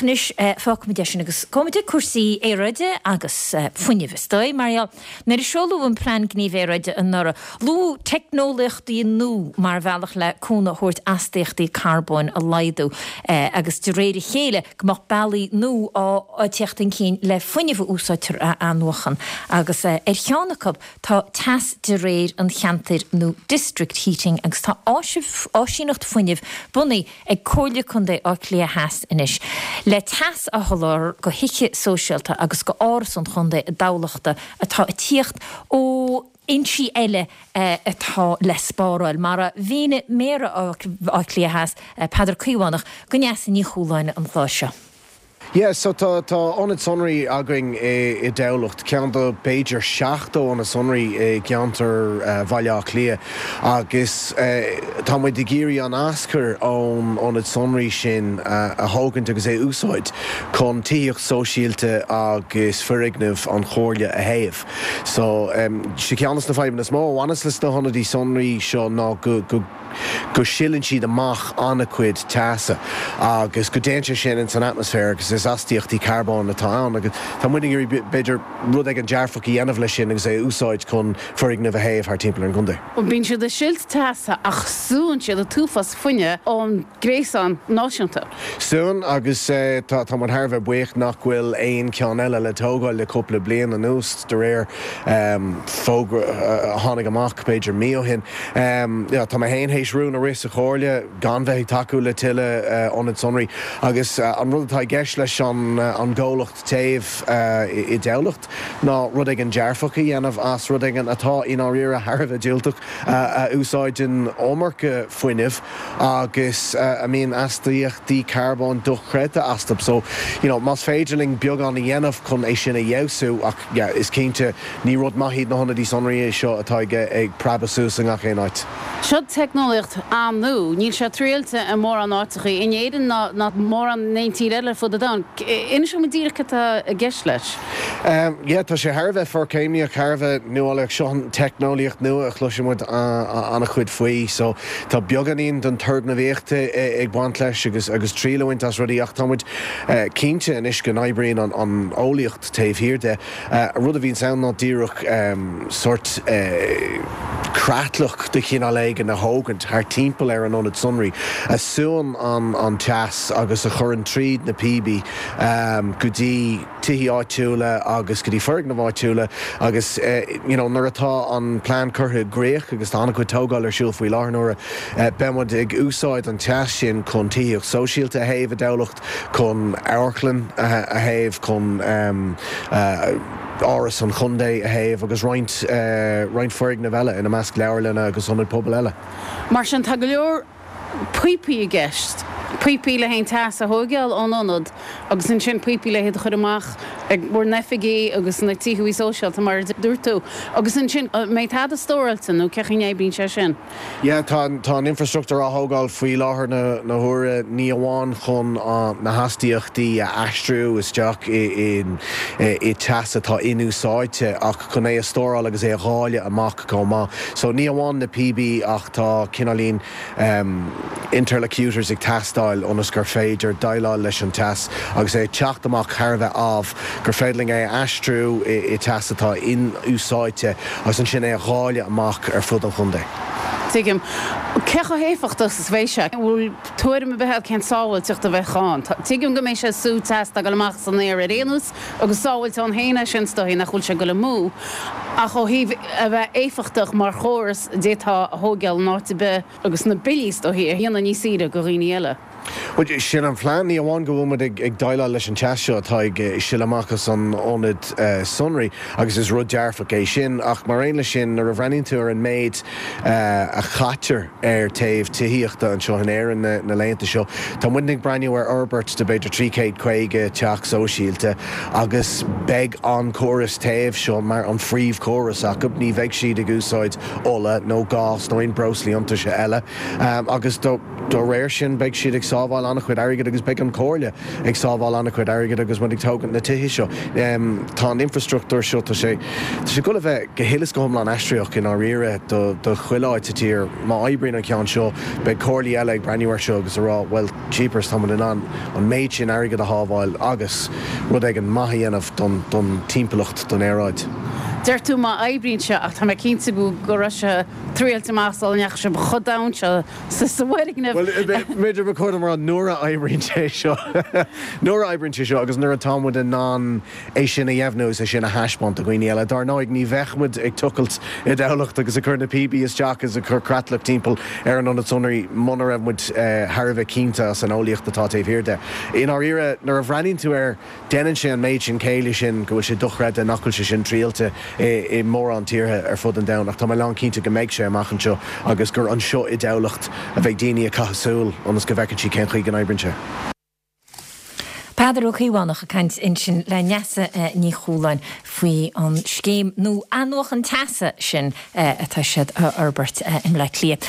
Anois, fágfaimid é sin agus gabhfaimid ag cúrsaí aeráide agus fuinnimh, is dóigh. Mar gheall, nuair a seoladh an Plean Gnímh Aeráide anuraidh, luadh teicneolaíochtaí nua mar bhealach le cúnamh a thabhairt astaíochtaí carbóin a laghdú agus de réir a chéile go mbeadh bealaí nua á dteacht chun cinn le fuinneamh a úsáidtear a athnuachan agus ar cheann acu tá teas de réir an cheantair nó district heating agus tá áisíneacht fuinnimh bunaithe ag Comhairle Contae Átha Cliath Theas anois le teas a sholáthar go thithe sóisialta agus go Áras an Chontae i dTamhlachta atá ag tíocht ó fhoinsí eile atá le spáráil, mar a mhínigh Méara Átha Cliath Theas, Peadar Caomhánach, do Neasa Ní Chualáin an lá seo. Yeah, so tá, tá ionad sonraí againn i, i dTamhlacht, ceann de b'fhéidir 70 ionad sonraí i gceantar Bhaile Átha Cliath agus tá muid ag iarraidh an aschur ón ionad sonraí sin a thógaint agus é a úsáid chun tithíocht sóisialta agus foirgnimh an Chomhairle a théamh. So, sé ceann de na fadhbanna is mó a bhaineas leis na hionadaí sonraí seo ná go, go, go sileann siad amach an-chuid teasa agus go dtéann sé sin ins an atmaisféar agus is astaíochtaí carbóin atá ann agus tá muid ag iarraidh b'fhéidir rud éigin dearfach a dhéanamh leis sin agus é a úsáid chun foirgnimh a théamh thar timpeall ar an gcontae. Bíonn siad ag silt teasa ach súnn siad an t-uafás fuinnimh ón gréasán náisiúnta. Súnn agus tá tá muid thar a bheith buíoch nach bhfuil aon cheann eile le tógáil le cúpla bliain anuas de réir fógra a tháinig amach b'fhéidir mí ó shin. Tá mé féin théis rún a rith sa Chomhairle gan bheith ag tacú le tuilleadh ionad sonraí agus an rud atá i gceist leis an gcomhlacht téimh i dTamhlacht ná rud éigin dearfach a dhéanamh as rud éigin atá i ndáiríre thar a bheith diúltach, a úsáideann iomarca fuinnimh agus a mbíonn astaíochtaí carbóin dochreidte astu. So, you know, más féidir linn beagán a dhéanamh chun é sin a fheabhsú ach yeah, is cinnte, Ní rud maith iad na hionadaí sonraí seo atá ag preabadh suas i ngach aon áit. Seo teicneolaíocht an-nua. Níl sé triailte i mórán áiteachaí in Éirinn ná ná mórán in aon tír eile ar fud an domhain. Inis dom díreach cad tá i gceist leis. Yeah, tá sé thar a bheith forchéimneach, thar a bheith nuálaíoch. Seo an teicneolaíocht nua a chloiseann muid an-chuid faoi. So tá beagáinín den turgnamhaíocht ag baint leis agus agus triail a bhaint as rudaí ach tá muid cinnte anois go n-oibríonn an eolaíocht taobh thiar de. An rud a bhíonns ann ná díreach sórt creatlach de chineál éigin a thógaint thart timpeall ar an ionad sonraí, a súnn an teas agus a chuireann tríd na píobaí go dtí tithí áitiúla agus go dtí foirgnimh áitiúla agus you know nuair atá an plean curtha i gcrích agus tá an-chuid tógáil ar siúl faoi láthair na huaire, beidh muid ag úsáid an teas sin chun tithíocht sóisialta a théamh i dTamhlacht. chun amharclann a théamh, chun Áras an Chontae a théamh agus roinnt roinnt foirgneamh eile, ina measc leabharlanna agus ionaid pobail eile. Mar sin, tá go leor píopaí i gceist, píopaí le haghaidh an teas a thóigeáil ón ionad agus ansin píopaí le hiad a chur amach ag bhur n-oifigí agus na tithe sóisialta mar a dúirt tú. Agus ansin, an mbeidh tada stóráilte nó cén chaoi a n-oibríonn sé sin? Yeah, tá tá an infreastruchtúr á thógáil faoi láthair na huaire, ní amháin chun na hastaíochtaí a aistriú isteach i i teas atá inúsáidte ach chun é a stóráil agus é a dháileadh amach chomh maith. So ní amháin na píobaí ach tá cineáilín interlocutors ag teastáil ionas gur féidir déileáil leis an teas agus é ag teacht amach thar a bheith amh, gur féidir linn é a aistriú i teas atá inúsáidte agus ansin é a dháileadh amach ar fud an chontae. Tuigim. Cé chomh héifeachtach is a bheidh sé? An bhfuil tuairim ar bith agat cén sábháilteacht a bheadh ann? Tuigim go mbeidh sé ag sú teas atá ag dul amach san aer ar aon nós agus sábháilte ann féin é sin is dóigh nach bhfuil sé ag dul amú ach ó thaobh a bheith éifeachtach mar chóras d'fhéadfá a thóigeáil in áit ar bith agus na billí is dóichí a dhéanamh níos saoire do dhaoine eile. Bhuel, sin an phlean. Ní amháin go bhfuil muid ag déileáil leis an teas seo atá ag sileadh amach as an ionad sonraí, agus is rud dearfach é sin, ach mar aon leis sin, nuair a bhreathnaíonn tú ar an méid a chaitear ar théamh tithíochta anseo in Éirinn na laethanta seo, tá muidne ag breathnú ar fhorbairt de b'fhéidir 350 teach sóisialta agus beidh an córas téimh seo mar an phríomhchóras acu. Ní bheidh siad ag úsáid ola nó gás nó aon breoslaí iontaise eile agus dá réir sin beidh siad ag. sábháil an-chuid airgid agus beidh an Chomhairle ag sábháil an-chuid airgid agus muid ag tógaint na tithe seo. Tá an infreastruchtúr seo, tá sé, tá sé ag dul a bheith go huile is go hiomlán aistritheach i ndáiríre do, do chuile áit sa tír. Má oibríonn an ceann seo, beidh comhairlí eile ag breathnú air seo agus ag rá, bhuel, jeepers, tá muid in ann an méid sin airgid a shábháil agus rud éigin maith a dhéanamh don, don timpeallacht, don aeráid. Deir tú má oibríonn sé ach tá mé cinnte go, go raibh sé triailte amach sula ndeachaigh sibh chomh domhain seo sa bhfoirgneamh. Bhuel, b'fhéidir ba chóir dom a rá nuair a oibríonn sé seo, nuair a oibríonn sé seo agus nuair atá muid in ann é sin a dheimhniú agus é sin a thaispeáint do dhaoine eile. Dar ndóigh, ní bheadh muid ag tochailt i dTamhlacht agus ag cur na píopaí isteach agus ag cur creatlach timpeall ar an ionad sonraí muna raibh muid thar a bheith cinnte as an eolaíocht atá taobh thiar de. I ndáiríre, nuair a bhreathnaíonn tú air, déanann sé an méid sin céille sin go bhfuil sé dochreidte nach bhfuil sé sin triailte i mórán tíortha ar fud an domhain. Ach tá mé lán cinnte go mbeidh sé amach anseo agus gur anseo i dTamhlacht a bheidh daoine ag caitheamh súil ionas go bhfeiceann siad cén chaoi go n-oibríonn sé. Peadar Ó Caomhánach ag caint ansin le Neasa Ní Chualáin faoi an scéim nua athnuachan teasa sin atá siad a fhorbairt i mBleá Cliath.